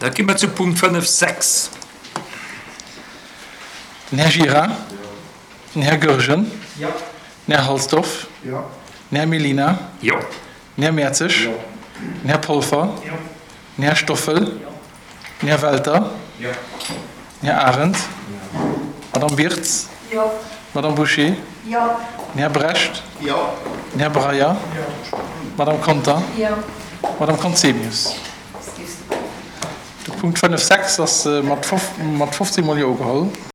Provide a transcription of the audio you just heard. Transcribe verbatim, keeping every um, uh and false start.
Da gi mer zu Punkt fënnef sechs. Den Här Gira. Den Här Goergen. Den Här Halsdorf. Den Här Mellina. Jo. Den Här Mertzig. Den Här Polfer. Den Här Stoffel. Den Här Welter. Den Här Arendt. D'Madame Birtz. D'Madame Bouché. Den Här Brecht. Den Här Breyer. D'Madame Conter. D'Madame Conzemius. De Punkt fënnef sechs ass mat fofzéng Mol Jo ugeholl.